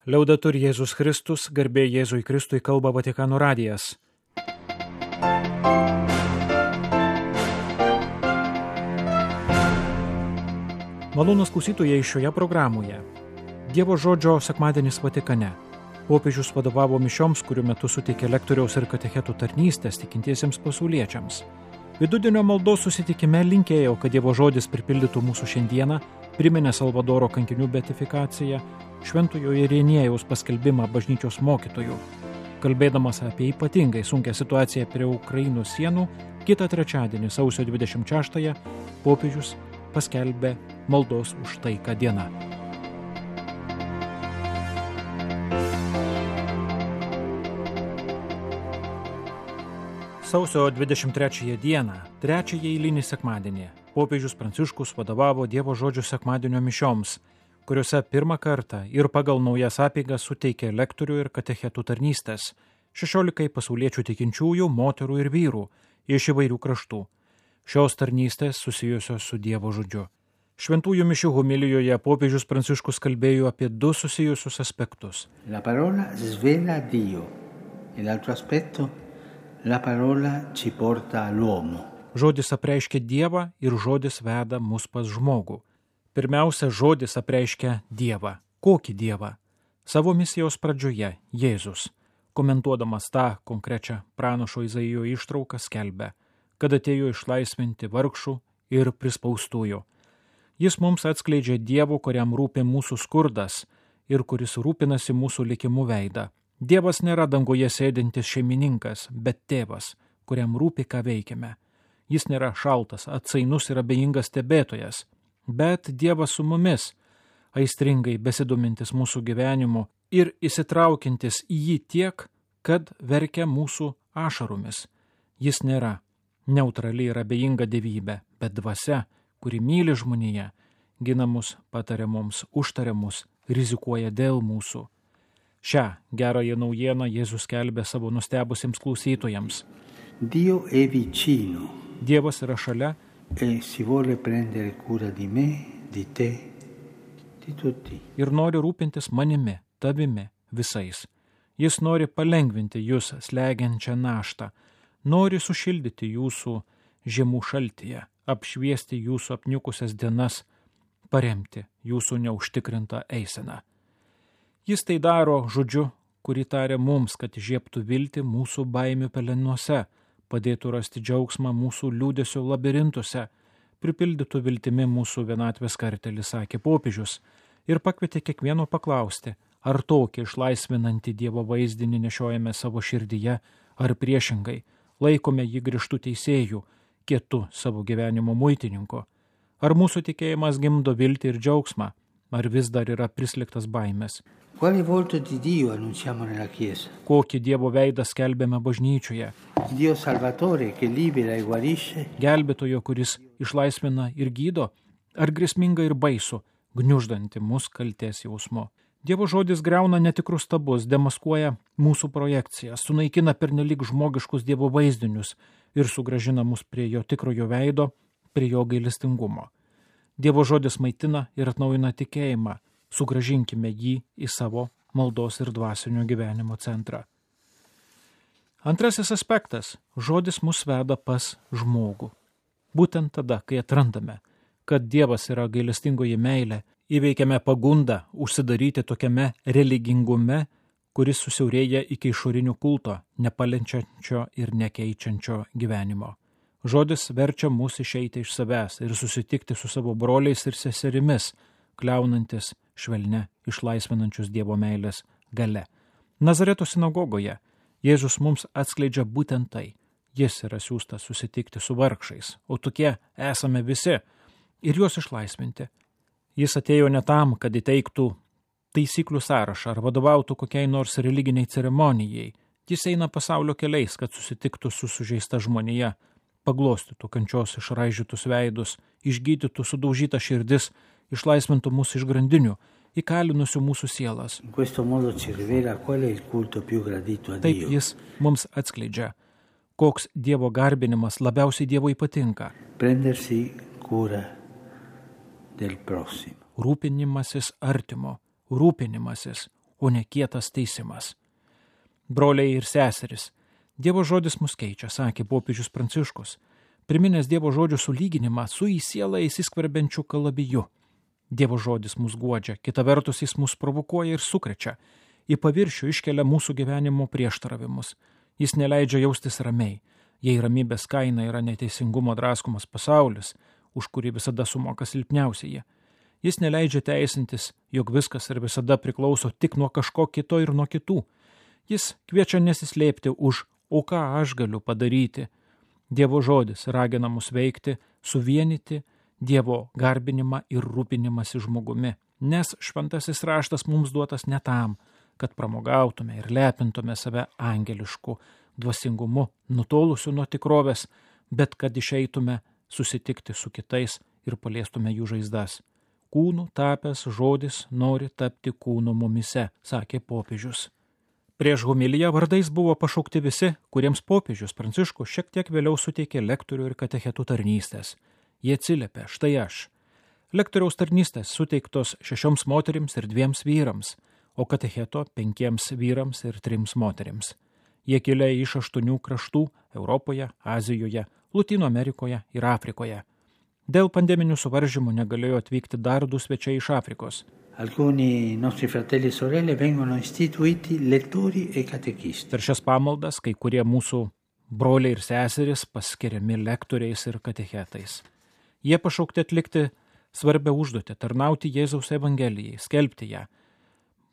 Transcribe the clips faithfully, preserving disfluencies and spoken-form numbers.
Liaudetur Jėzus Kristus, garbė Jėzui Kristui, kalba Vatikano radijas. Malonūs klausytojai šioje programoje. Dievo žodžio sekmadienis Vatikane. Popiežius vadovavo mišioms, kurių metu suteikė lektoriaus ir katechetų tarnystės tikintiesiems pasauliečiams. Vidudienio maldos susitikime linkėjau, kad Dievo žodis pripildytų mūsų šiandieną, priminė Salvadoro kankinių beatifikaciją, Šventojo Ireniejaus paskelbimą bažnyčios mokytojų. Kalbėdamas apie ypatingai sunkią situaciją prie Ukrainos sienų, kitą trečiadienį, sausio dvidešimt šeštąją, popiežius paskelbė maldos už taiką dieną. Sausio dvidešimt trečiąją dieną, trečiąjį eilinį sekmadienį, popiežius Pranciškus vadovavo Dievo žodžio sekmadienio mišioms, kuriuose pirmą kartą ir pagal naujas apeigas suteikė lektorių ir katechetų tarnystės šešiolikai pasauliečių tikinčiųjų, moterų ir vyrų iš įvairių kraštų. Šios tarnystės susijusios su Dievo žodžiu. Šventųjų mišių homilijoje popiežius Pranciškus kalbėjo apie du susijusius aspektus. La parola svela Dio e l'altro aspetto la parola ci porta all'uomo. Žodis apreiškia Dievą ir žodis veda mus pas žmogų. Pirmiausia, žodis apreiškia Dievą. Kokį Dievą? Savo misijos pradžioje Jėzus, komentuodamas tą konkrečią pranašo Izaijo ištrauką, skelbia, kad atėjo išlaisvinti vargšų ir prispaustųjų. Jis mums atskleidžia Dievo, kuriam rūpi mūsų skurdas ir kuris rūpinasi mūsų likimu veidą. Dievas nėra danguje sėdintis šeimininkas, bet tėvas, kuriam rūpi, ką veikiame. Jis nėra šaltas, atsainus ir abejingas stebėtojas, bet Dievas su mumis, aistringai besidomintis mūsų gyvenimu ir įsitraukintis į jį tiek, kad verkia mūsų ašaromis. Jis nėra neutrali ir abejinga dievybė, bet dvasia, kuri myli žmoniją, gina mus, pataria mums, užtaria mus, rizikuoja dėl mūsų. Šią gerąją naujieną Jėzus skelbė savo nustebusiems klausytojams. Dio è vicino. Dievas yra šalia e si vuole prendere cura di me, di te, di tutti. Ir nori rūpintis manimi, tavimi, visais. Jis nori palengvinti jūs slegiančią naštą, nori sušildyti jūsų žiemų šaltyje, apšviesti jūsų apniukusias dienas, paremti jūsų neužtikrintą eiseną. Jis tai daro žodžiu, kurį taria mums, kad žiebtų viltį mūsų baimių pelenuose, padėtų rasti džiaugsmą mūsų liūdesio labirintuose, pripildytų viltimi mūsų vienatvės kartelį, sakė popiežius, ir pakvietė kiekvieno paklausti, ar tokį išlaisvinantį Dievo vaizdinį nešiojame savo širdyje, ar priešingai, laikome jį griežtų teisėjų, kietu savo gyvenimo muitininku. Ar mūsų tikėjimas gimdo viltį ir džiaugsmą, ar vis dar yra prisliktas baimės. Quale volto di Dio annunciamo nella Chiesa? Kokį Dievo veidą skelbėme bažnyčioje? Dio salvatore che libera e guarisce? Gelbėtojo, kuris išlaisvina ir gydo, ar grėsminga ir baisu, gniuždanti mus kaltės jausmu. Dievo žodis griauna netikrus stabus, demaskuoja mūsų projekciją, sunaikina pernelyg žmogiškus Dievo vaizdinius ir sugrąžina mus prie jo tikrojo veido, prie jo gailestingumo. Dievo žodis maitina ir atnaujina tikėjimą, sugrąžinkime jį į savo maldos ir dvasinio gyvenimo centrą. Antrasis aspektas – žodis mus veda pas žmogų. Būtent tada, kai atrandame, kad Dievas yra gailestingoji meilė, įveikiame pagundą užsidaryti tokiame religingume, kuris susiaurėja iki išorinio kulto, nepalienčiančio ir nekeičiančio gyvenimo. Žodis verčia mus išeiti iš savęs ir susitikti su savo broliais ir seserimis, kliaunantis švelne išlaisvinančius Dievo meilės gale. Nazareto sinagogoje Jėzus mums atskleidžia būtent tai. Jis yra siųstas susitikti su vargšais, o tokie esame visi, ir juos išlaisvinti. Jis atėjo ne tam, kad įteiktų taisyklių sąrašą ar vadovautų kokiai nors religiniai ceremonijai. Jis eina pasaulio keliais, kad susitiktų su sužeista žmonija, paglostytų kančios išraižytus veidus, išgydytų sudaužytą širdis, išlaisvintų mūsų iš grandinių, įkalinusių mūsų sielas. Taip jis mums atskleidžia, koks Dievo garbinimas labiausiai Dievui patinka. Rūpinimasis artimo, rūpinimasis, o ne kietas teisimas. Broliai ir seseris, Dievo žodis mus keičia, sakė popiežius Pranciškus, priminęs Dievo žodžio sulyginimą su į sielą įsiskverbiančiu kalabiju. Dievo žodis mus guodžia, kita vertus jis mus provokuoja ir sukrečia, į paviršių iškelia mūsų gyvenimo prieštaravimus. Jis neleidžia jaustis ramiai, jei ramybės kaina yra neteisingumo draskomas pasaulis, už kurį visada sumoka silpniausieji. Jis neleidžia teisintis, jog viskas ir visada priklauso tik nuo kažko kito ir nuo kitų. Jis kviečia nesislėpti už, o ką aš galiu padaryti. Dievo žodis ragina mus veikti, suvienyti Dievo garbinimą ir rūpinimąsi žmogumi, nes šventasis raštas mums duotas ne tam, kad pramogautume ir lepintume save angelišku dvasingumu, nutolusiu nuo tikrovės, bet kad išeitume susitikti su kitais ir paliestume jų žaizdas. Kūnų tapęs žodis nori tapti kūnu mumise, sakė popiežius. Prieš homiliją vardais buvo pašaukti visi, kuriems popiežius Pranciškus šiek tiek vėliau suteikė lektorių ir katechetų tarnystės. Jie atsiliepė, štai aš. Lektoriaus tarnystės suteiktos šešioms moterims ir dviems vyrams, o katecheto penkiems vyrams ir trims moterims. Jie kilę iš aštuonių kraštų Europoje, Azijoje, Lotynų Amerikoje ir Afrikoje. Dėl pandeminių suvaržymų negalėjo atvykti dar du svečiai iš Afrikos. Alcuni nostri fratelli e sorelle vengono istituiti lettori e catechisti. Per šias pamaldas kai kurie mūsų broliai ir seserys paskiriami lektoriais ir katechetais. Jie pašaukti atlikti svarbią užduotį, tarnauti Jėzaus Evangelijai, skelbti ją,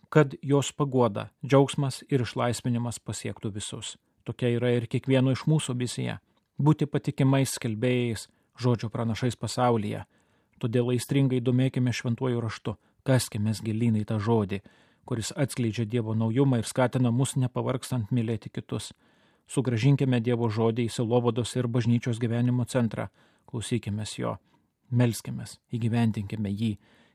kad jos paguoda, džiaugsmas ir išlaisvinimas pasiektų visus. Tokia yra ir kiekvieno iš mūsų misija – būti patikimais skelbėjais, žodžio pranašais pasaulyje. Todėl aistringai domėkime šventuoju raštu, kaskimės gilyn į tą žodį, kuris atskleidžia Dievo naujumą ir skatina mus nepavargstant mylėti kitus. Sugrąžinkime Dievo žodį į sielovados ir bažnyčios gyvenimo centrą, klausykimės jo, melskimės, įgyvendinkime jį,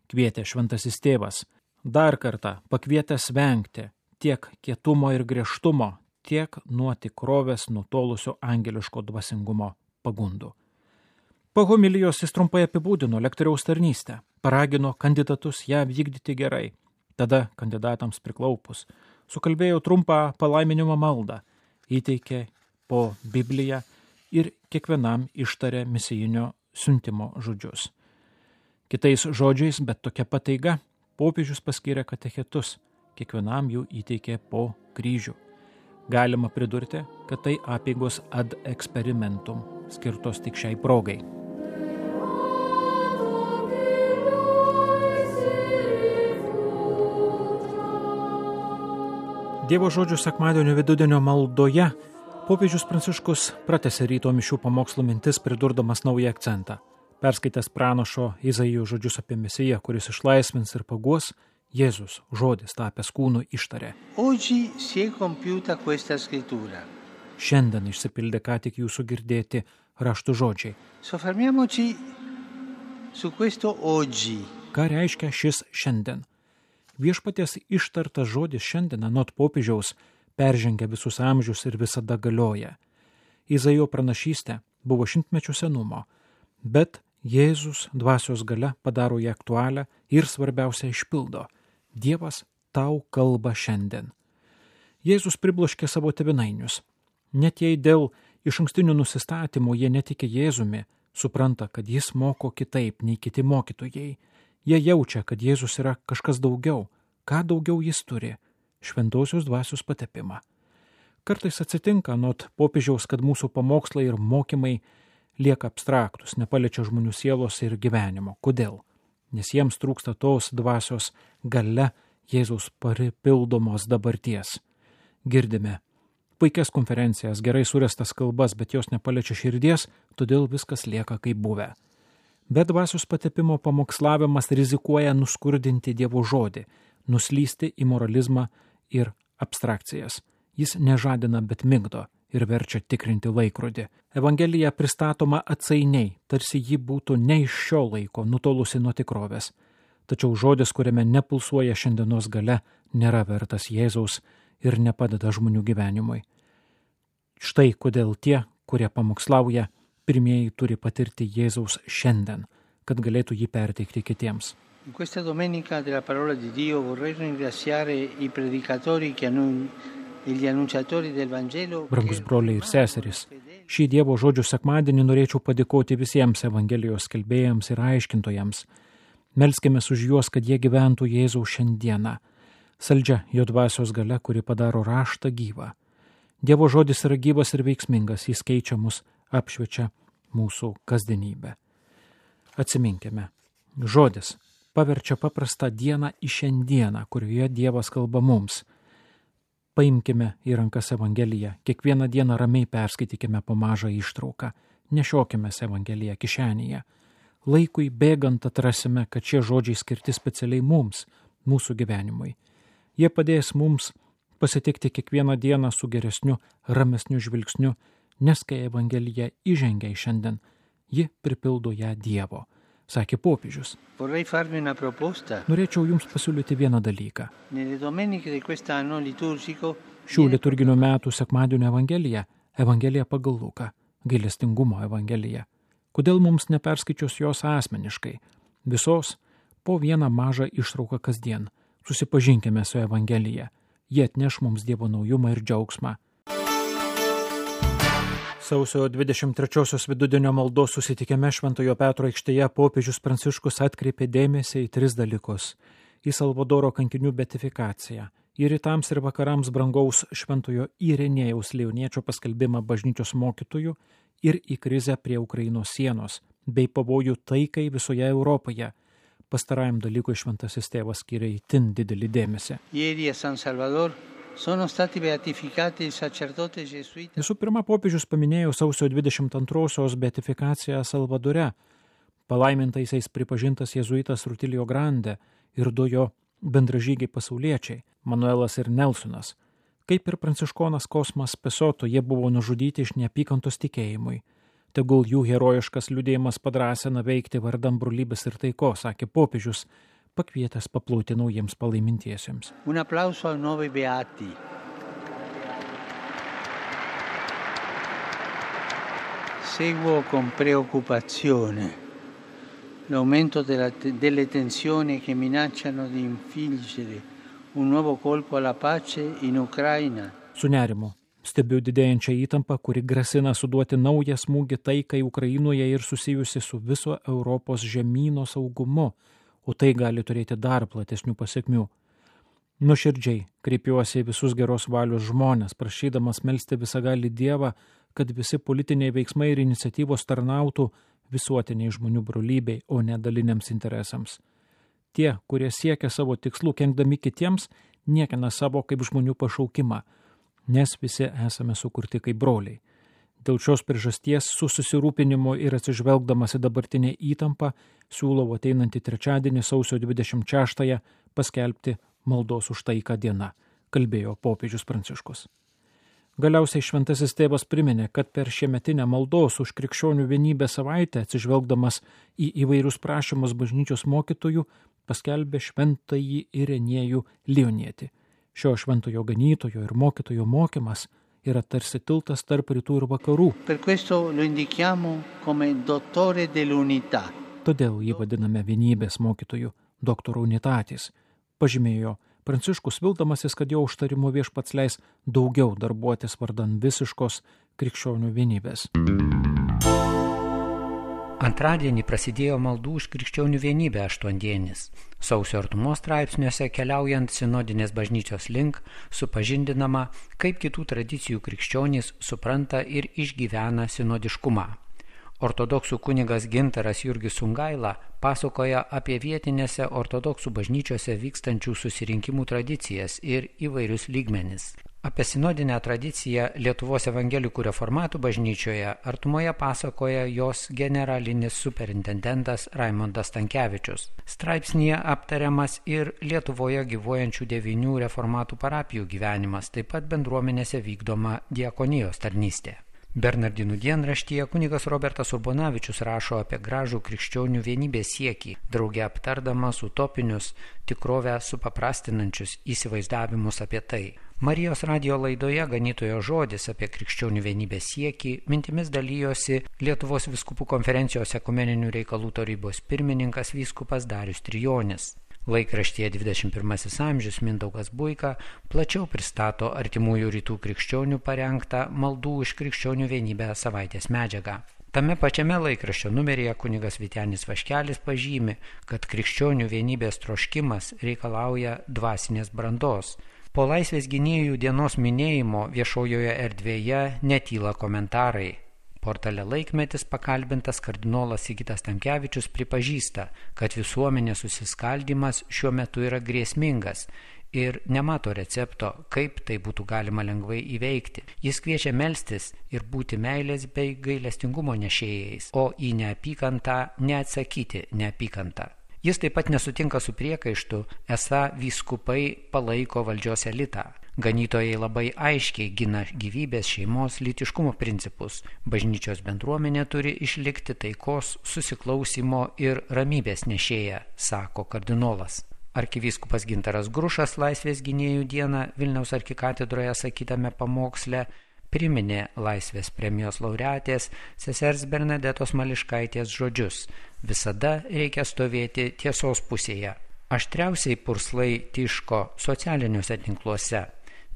kvietė šventasis tėvas. Dar kartą pakvietęs vengti tiek kietumo ir griežtumo, tiek nuo tikrovės nutolusio angeliško dvasingumo pagundų. Po homilijos jis trumpai apibūdino lektoriaus tarnystę, paragino kandidatus ją vykdyti gerai. Tada kandidatams priklaupus sukalbėjo trumpą palaiminimo maldą, įteikė po Bibliją ir kiekvienam ištarė misijinio siuntimo žodžius. Kitais žodžiais, bet tokia pataiga, popiežius paskyrė katechetus, kiekvienam jų įteikė po kryžių. Galima pridurti, kad tai apeigos ad experimentum, skirtos tik šiai progai. Dievo žodžių sekmadienio vidudienio maldoje popiežius Pranciškus pratęsė ryto mišių pamokslo mintis, pridurdamas naują akcentą. Perskaitęs pranašo Izaijo žodžius apie Mesiją, kuris išlaisvins ir paguos, Jėzus, žodis tapęs kūnu, ištarė. Oggi si è compiuta questa scrittura. Šiandien išsipildė ką tik jūsų girdėti raštų žodžiai. Soffermiamoci su questo oggi. Ką reiškia šis šiandien? Viešpaties ištartas žodis šiandien anot popiežiaus peržengia visus amžius ir visada galioja. Izaijo pranašystė buvo šimtmečių senumo, bet Jėzus dvasios galia padaro ją aktualią ir svarbiausia išpildo. Dievas tau kalba šiandien. Jėzus pribloškė savo tėvynainius. Net jei dėl išankstinių nusistatymų jie netikė Jėzumi, supranta, kad jis moko kitaip nei kiti mokytojai. Jie jaučia, kad Jėzus yra kažkas daugiau. Ką daugiau jis turi? Šventosios dvasios patepimą. Kartais atsitinka anot popiežiaus, kad mūsų pamokslai ir mokymai lieka abstraktus, nepaliečia žmonių sielos ir gyvenimo. Kodėl? Nes jiems trūksta tos dvasios galia Jėzaus paripildomos dabarties. Girdime puikias konferencijas, gerai surestas kalbas, bet jos nepaliečia širdies, todėl viskas lieka kaip buvę. Bet dvasios patepimo pamokslavimas rizikuoja nuskurdinti Dievo žodį, nuslysti į moralizmą ir abstrakcijas. Jis nežadina, bet migdo ir verčia tikrinti laikrodį. Evangelija pristatoma atsainiai, tarsi ji būtų ne iš šio laiko, nutolusi nuo tikrovės. Tačiau žodis, kuriame nepulsuoja šiandienos galia, nėra vertas Jėzaus ir nepadeda žmonių gyvenimui. Štai kodėl tie, kurie pamokslauja, pirmieji turi patirti Jėzaus šiandien, kad galėtų jį perteikti kitiems. In questa domenica della parola di Dio vorrei ringraziare i predicatori che hanno e gli annunciatori del Vangelo. Brangus broliai ir seserys, šį Dievo žodžių sekmadienį norėčiau padėkoti visiems Evangelijos skelbėjams ir aiškintojams. Melskimės už juos, kad jie gyventų Jėzaus šiandieną, saldžia jo dvasios galia, kuri padaro raštą gyvą. Dievo žodis yra gyvas ir veiksmingas, jis keičia mus, apšviečia mūsų kasdienybę. Atsiminkime, žodis paverčia paprastą dieną į šiandieną, kurioje Dievas kalba mums. Paimkime į rankas Evangeliją, kiekvieną dieną ramiai perskaitykime po mažą ištrauką, nešiokime Evangeliją kišenėje. Laikui bėgant atrasime, kad šie žodžiai skirti specialiai mums, mūsų gyvenimui. Jie padės mums pasitikti kiekvieną dieną su geresniu, ramesniu žvilgsniu, nes kai Evangelija įžengia į šiandien, ji pripildo ją Dievo, sakė popiežius. Norėčiau jums pasiūlyti vieną dalyką. Šių liturginių metų sekmadienio Evangelija, Evangelija pagal Luką, gailestingumo Evangelija. Kodėl mums neperskaičius jos asmeniškai? Visos po vieną mažą ištrauką kasdien. Susipažinkime su Evangelija. Jie atneš mums Dievo naujumą ir džiaugsmą. Sausio dvidešimt trečiosios vidudienio maldos susitikime Šventojo Petro aikštėje popiežius Pranciškus atkreipė dėmesį į tris dalykus. Į Salvadoro kankinių beatifikaciją, į rytams ir vakarams brangaus Šventojo Irenėjaus Leoniečio paskelbimą bažnyčios mokytojų ir į krizę prie Ukrainos sienos, bei pavojų taikai visoje Europoje. Pastarajam dalykui šventasis tėvas skiria itin didelį dėmesį. Visų pirma, popiežius paminėjo sausio dvidešimt antrosios beatifikaciją Salvadore. Palaimintaisiais pripažintas jėzuitas Rutilio Grande ir du jo bendražygiai pasauliečiai, Manuelas ir Nelsonas. Kaip ir pranciškonas Kosmas Pesoto, jie buvo nužudyti iš neapykantos tikėjimui. Tegul jų herojiškas liudėjimas padrąsina veikti vardan brolybės ir taikos, sakė popiežius, pakvietęs paplauti naujiems palaimintiesiems. Un applauso ai nuovi beati. Seguo con preoccupazione l'aumento della, delle tensioni che minacciano di infliggere un nuovo colpo alla pace in Ucraina. Su nerimu stebiu didėjančią įtampą, kuri grasina suduoti naują smūgį taikai Ukrainoje ir susijusi su viso Europos žemyno saugumu, o tai gali turėti dar platesnių pasekmių. Nuoširdžiai kreipiuosi į visus geros valios žmonės, prašydamas melsti visagalį Dievą, kad visi politiniai veiksmai ir iniciatyvos tarnautų visuotiniai žmonių brolybei, o ne daliniams interesams. Tie, kurie siekia savo tikslų, kenkdami kitiems, niekina savo kaip žmonių pašaukimą, nes visi esame sukurti kaip broliai. Dėl šios priežasties su susirūpinimu ir atsižvelgdamas į dabartinę įtampą siūlau ateinantį trečiadienį sausio dvidešimt šeštąją paskelbti maldos už taiką dieną, kalbėjo popiežius Pranciškus. Galiausiai šventasis tėvas priminė, kad per šiemetinę maldos už krikščionių vienybę savaitę, atsižvelgdamas į įvairius prašymus bažnyčios mokytojų, paskelbė šventąjį Irenėjų Leonietį. Šio šventojo ganytojo ir mokytojo mokymas yra tarsi tiltas tarp rytų ir vakarų. Per questo lo indichiamo come dottore dell'unità. Todėl jį vadiname vienybės mokytoju, doktoru unitatis, pažymėjo Pranciškus, vildamasis, kad jo užtarimu viešpats leis daugiau darbuotis vardan visiškos krikščionių vienybės. Antradienį prasidėjo maldų už krikščionių vienybę aštuondienis. Sausio artumos straipsniuose keliaujant sinodinės bažnyčios link supažindinama, kaip kitų tradicijų krikščionys supranta ir išgyvena sinodiškumą. Ortodoksų kunigas Gintaras Jurgis Sungaila pasakoja apie vietinėse ortodoksų bažnyčiose vykstančių susirinkimų tradicijas ir įvairius lygmenis. Apie sinodinę tradiciją Lietuvos evangelikų reformatų bažnyčioje artumoje pasakoja jos generalinis superintendentas Raimondas Stankevičius. Straipsnyje aptariamas ir Lietuvoje gyvuojančių devynių reformatų parapijų gyvenimas, taip pat bendruomenėse vykdoma diakonijos tarnystė. Bernardinų dienraštyje kunigas Robertas Urbonavičius rašo apie gražų krikščionių vienybės siekį, drauge aptardamas utopinius, tikrovę supaprastinančius įsivaizdavimus apie tai. Marijos radijo laidoje Ganytojo žodis apie krikščionių vienybės siekį mintimis dalyjosi Lietuvos vyskupų konferencijos ekumeninių reikalų tarybos pirmininkas vyskupas Darius Trijonis. Laikraštyje dvidešimt pirmasis amžius Mindaugas Buika plačiau pristato artimųjų rytų krikščionių parengtą maldų už krikščionių vienybę savaitės medžiagą. Tame pačiame laikraščio numeryje kunigas Vytenis Vaškelis pažymi, kad krikščionių vienybės troškimas reikalauja dvasinės brandos. Po Laisvės gynėjų dienos minėjimo viešojoje erdvėje netyla komentarai. Portale Laikmetis pakalbintas kardinolas Sigitas Tamkevičius pripažįsta, kad visuomenės susiskaldymas šiuo metu yra grėsmingas ir nemato recepto, kaip tai būtų galima lengvai įveikti. Jis kviečia melstis ir būti meilės bei gailestingumo nešėjais, o į neapykantą neatsakyti neapykantą. Jis taip pat nesutinka su priekaištu, esą vyskupai palaiko valdžios elitą. Ganytojai labai aiškiai gina gyvybės, šeimos, lytiškumo principus. Bažnyčios bendruomenė turi išlikti taikos, susiklausimo ir ramybės nešėja, sako kardinolas. Arkivyskupas Gintaras Grušas Laisvės gynėjų dieną Vilniaus arkikatedroje sakytame pamoksle priminė Laisvės premijos laureatės sesers Bernadetos Mališkaitės žodžius: visada reikia stovėti tiesos pusėje. Aštriausiai purslai tyško socialiniuose tinkluose.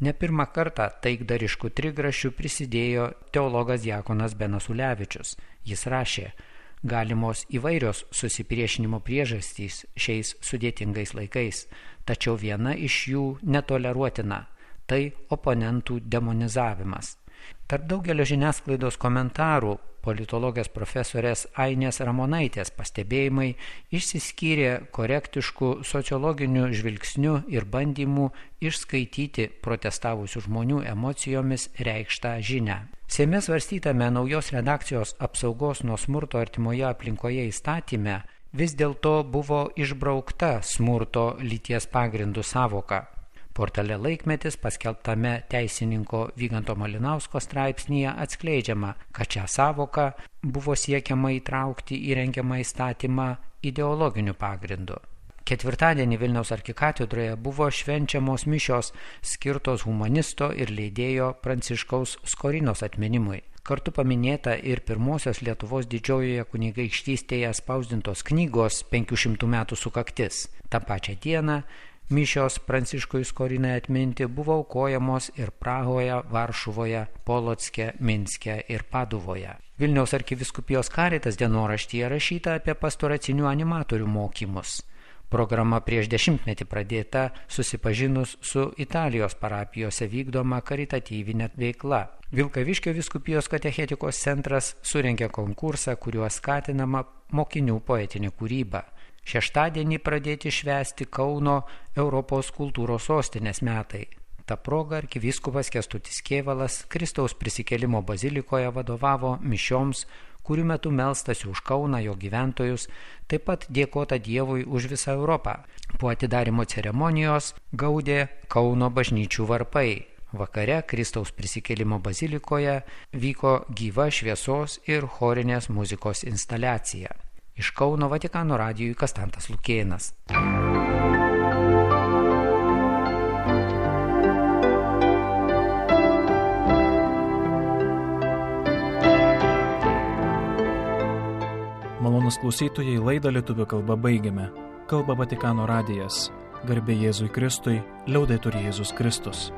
Ne pirmą kartą taikdariškų trigrašių prisidėjo teologas diakonas Benas Ulevičius. Jis rašė: galimos įvairios susipriešinimo priežastys šiais sudėtingais laikais, tačiau viena iš jų netoleruotina – tai oponentų demonizavimas. Tarp daugelio žiniasklaidos komentarų politologės profesorės Ainės Ramonaitės pastebėjimai išsiskyrė korektiškų sociologinių žvilgsnių ir bandymų išskaityti protestavusių žmonių emocijomis reikštą žinią. Seime svarstytame naujos redakcijos apsaugos nuo smurto artimoje aplinkoje įstatyme vis dėlto buvo išbraukta smurto lyties pagrindų sąvoka. Portale Laikmetis paskelbtame teisininko Vyganto Malinausko straipsnyje atskleidžiama, kad šią sąvoką buvo siekiama įtraukti į rengiamą įstatymą ideologiniu pagrindu. Ketvirtadienį Vilniaus arkikatedroje buvo švenčiamos mišios skirtos humanisto ir leidėjo Pranciškaus Skorinos atminimui. Kartu paminėta ir pirmosios Lietuvos didžiojoje kunigaikštystėje spausdintos knygos penkių šimtų metų sukaktis. Ta pačia diena mišios Pranciškui Skorinai atminti buvo aukojamos ir Prahoje, Varšuvoje, Polocke, Minske ir Paduvoje. Vilniaus arkivyskupijos Caritas dienoraštyje rašyta apie pastoracinių animatorių mokymus. Programa prieš dešimtmetį pradėta susipažinus su Italijos parapijose vykdoma karitatyvinė veikla. Vilkaviškio vyskupijos katechetikos centras surengė konkursą, kuriuo skatinama mokinių poetinė kūryba. Šeštadienį pradėti švęsti Kauno Europos kultūros sostinės metai. Ta proga arkivyskupas Kęstutis Kėvalas Kristaus prisikėlimo bazilikoje vadovavo mišioms, kurių metu melstasi už Kauną, jo gyventojus, taip pat dėkota Dievui už visą Europą. Po atidarymo ceremonijos gaudė Kauno bažnyčių varpai. Vakare Kristaus prisikėlimo bazilikoje vyko gyva šviesos ir chorinės muzikos instaliacija. Iš Kauno Vatikano radijui Kastantas Lukėnas. Malonūs klausytojai, laidą lietuvių kalba baigiame. Kalba Vatikano radijas. Garbė Jėzui Kristui, liaudetur Jėzus Kristus.